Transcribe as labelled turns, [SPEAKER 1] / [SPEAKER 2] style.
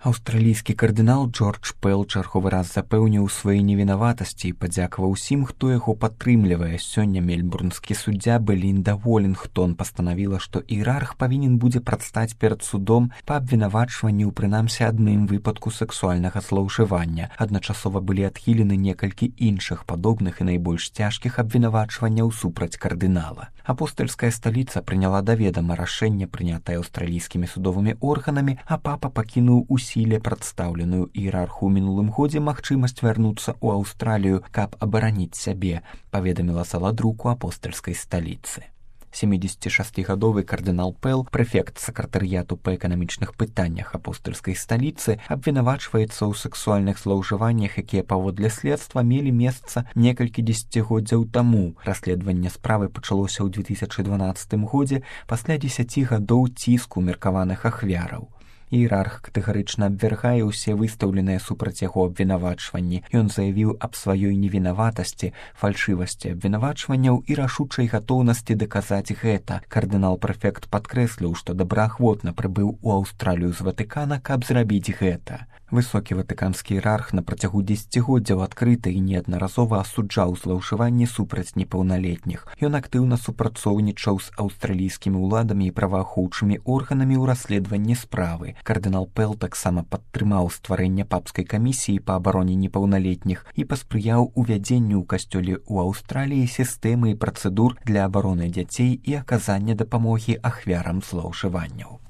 [SPEAKER 1] Аўстралійскі кардынал Джордж Пэл чарговы раз запэўніў сваёй невінаватасці і падзякаваў усім, хто яго падтрымлівае. Сёння мельбурнскі суддзя Белінда Волінгтон пастанавіла, што іерарх павінен будзе прадстаць перад судом па абвінавачванні ў прынамсі адным выпадку сэксуальнага злоўжывання. Адначасова былі адхілены некалькі іншых падобных і найбольш цяжкіх абвінавачванняў супраць кардынала. Апостальская сталіца прыняла да ведама рашэнне, прынятае аўстралійскімі судовымі органамі, а папа пакінуў у сіле прадстаўленую іерарху ў мінулым годзе магчымасць вярнуцца ў Аўстралію, каб абараніць сябе, паведаміла саладруку апостальскай сталіцы. 76-гадовы кардынал Пэл, прэфект сакратарыяту па эканамічных пытаннях апостальскай сталіцы, абвінавачваецца ў сэксуальных злоўжываннях, якія паводле следства мелі месца некалькі дзесяцігоддзяў таму. Расследаванне справы пачалося ў 2012 годзе пасля 10 гадоў ціску меркаваных ахвяраў. Іерарх катэгарычна абвяргае ўсе выстаўленыя супраць яго абвінавачванні. Ён заявіў аб сваёй невінаватасці, фальшывасці абвінавачванняў і рашучай гатоўнасці даказаць гэта. Кардынал-прэфект падкрэсліў, што добраахвотна прыбыў у Аўстралію з Ватыкана, каб зрабіць гэта. Высокі ватыканскі іерарх на працягу дзесяцігоддзяў адкрыта і неаднаразова асуджаў злоўжыванні супраць непаўналетніх. Ён актыўна супрацоўнічаў з аўстралійскімі ўладамі і праваахоўчымі органамі ў расследаванні справы. Кардынал Пэл таксама падтрымаў стварэнне папскай камісіі па абароне непаўналетніх і паспрыяў увядзенню ў касцёле ў Аўстраліі сістэмы і працэдур для абароны дзяцей і аказання дапамогі ахвярам злоўжыванняў.